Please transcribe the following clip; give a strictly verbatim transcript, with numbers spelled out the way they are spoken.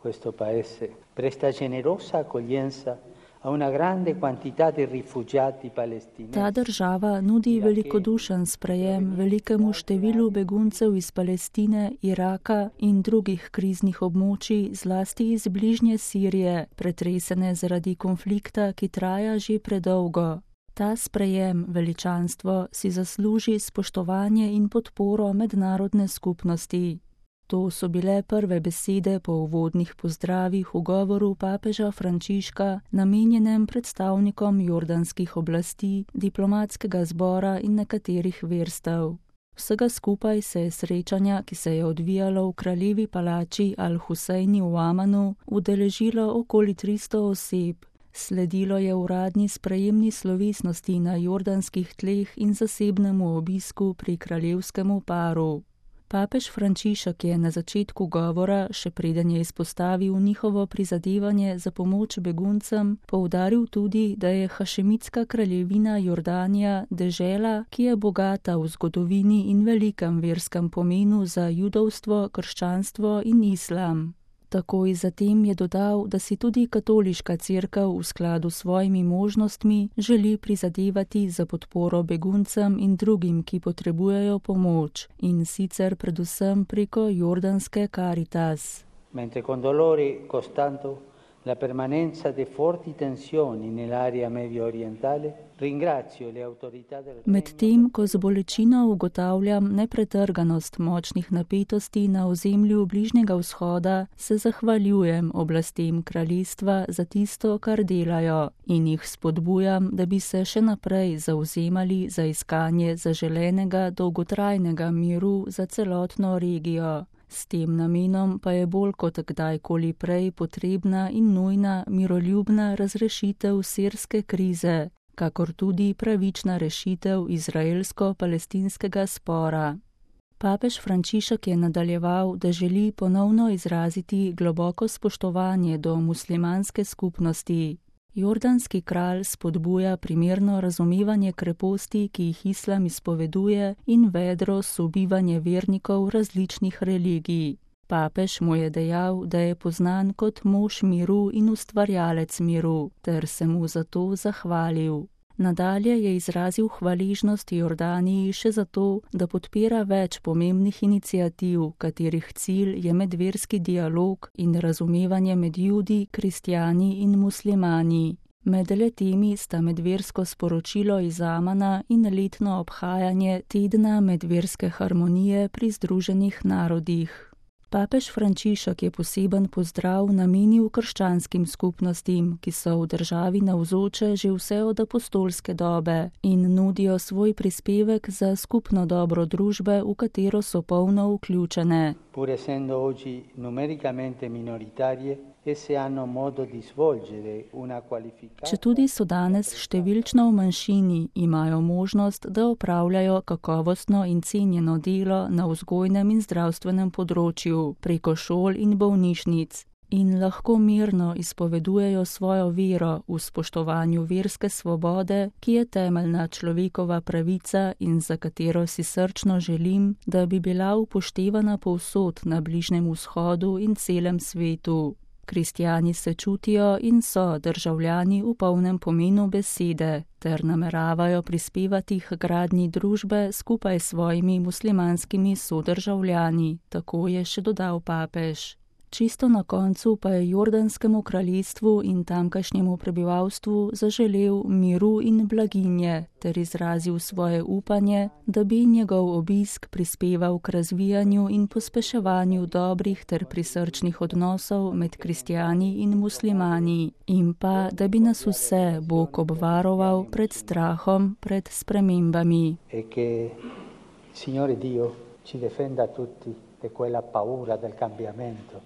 questo paese presta generosa accoglienza a una grande quantità di rifugiati palestinesi. Ta država nudi velikodušen sprejem velikemu številu beguncev iz Palestine, Iraka in drugih kriznih območij, zlasti iz bližnje Sirije, pretresene zaradi konflikta, ki traja že predolgo. Ta sprejem, veličanstvo, si zasluži spoštovanje in podporo mednarodne skupnosti. To so bile prve besede po uvodnih pozdravih v govoru papeža Frančiška, namenjenem predstavnikom jordanskih oblasti, diplomatskega zbora in nekaterih verstev. Vsega skupaj se je srečanja, ki se je odvijalo v kraljevi palači Al-Husejni v Amanu, udeležilo okoli tristo oseb. Sledilo je uradni sprejemni slovesnosti na jordanskih tleh in zasebnemu obisku pri kraljevskemu paru. Papež Frančišek je na začetku govora, še preden je izpostavil njihovo prizadevanje za pomoč beguncem, poudaril tudi, da je hašemitska kraljevina Jordanija dežela, ki je bogata v zgodovini in velikem verskem pomenu za judovstvo, krščanstvo in islam. Takoj zatem je dodal, da si tudi katoliška cerkev v skladu s svojimi možnostmi želi prizadevati za podporo beguncem in drugim, ki potrebujejo pomoč, in sicer predvsem preko jordanske Caritas. Mentre con dolore costante la permanenza di forti tensioni nell'area medio orientale, ringrazio le autorità del Medtem, ko z bolečino ugotavljam nepretrganost močnih napetosti na ozemlju Bližnjega vzhoda, se zahvaljujem oblastem kraljestva za tisto, kar delajo, in jih spodbujam, da bi se še naprej zavzemali za iskanje zaželenega dolgotrajnega miru za celotno regijo. S tem namenom pa je bolj kot kdajkoli prej potrebna in nujna miroljubna razrešitev sirske krize, kakor tudi pravična rešitev izraelsko-palestinskega spora. Papež Frančišek je nadaljeval, da želi ponovno izraziti globoko spoštovanje do muslimanske skupnosti. Jordanski kralj spodbuja primerno razumevanje kreposti, ki jih islam izpoveduje, in vedro sobivanje vernikov različnih religij. Papež mu je dejal, da je poznan kot mož miru in ustvarjalec miru, ter se mu za to zahvalil. Nadalje je izrazil hvaležnost Jordaniji še zato, da podpira več pomembnih iniciativ, katerih cilj je medverski dialog in razumevanje med Judi, kristjani in muslimani. Med letemi sta medversko sporočilo iz Amana in letno obhajanje tedna medverske harmonije pri Združenih narodih. Papež Frančišek je poseben pozdrav namenil krščanskim skupnostim, ki so v državi navzoče že vse od apostolske dobe in nudijo svoj prispevek za skupno dobro družbe, v katero so polno vključene. Pur essendo oggi numericamente minoritarie, esse hanno modo di svolgere una qualificata. Četudi so danes številčno v manjšini, imajo možnost, da opravljajo kakovostno in cenjeno delo na vzgojnem in zdravstvenem področju, preko šol in bolnišnic, in lahko mirno izpovedujejo svojo vero v spoštovanju verske svobode, ki je temeljna človekova pravica in za katero si srčno želim, da bi bila upoštevana povsod na Bližnjem vzhodu in celem svetu. Kristjani se čutijo in so državljani v polnem pomenu besede, ter nameravajo prispevati k gradnji družbe skupaj s svojimi muslimanskimi sodržavljani, tako je še dodal papež. Čisto na koncu pa je jordanskemu kraljestvu in tamkajšnjemu prebivalstvu zaželel miru in blaginje ter izrazil svoje upanje, da bi njegov obisk prispeval k razvijanju in pospeševanju dobrih ter prisrčnih odnosov med kristjani in muslimani in pa, da bi nas vse Bog obvaroval pred strahom, pred spremembami. E che Signore Dio ci difenda tutti da quella paura del cambiamento.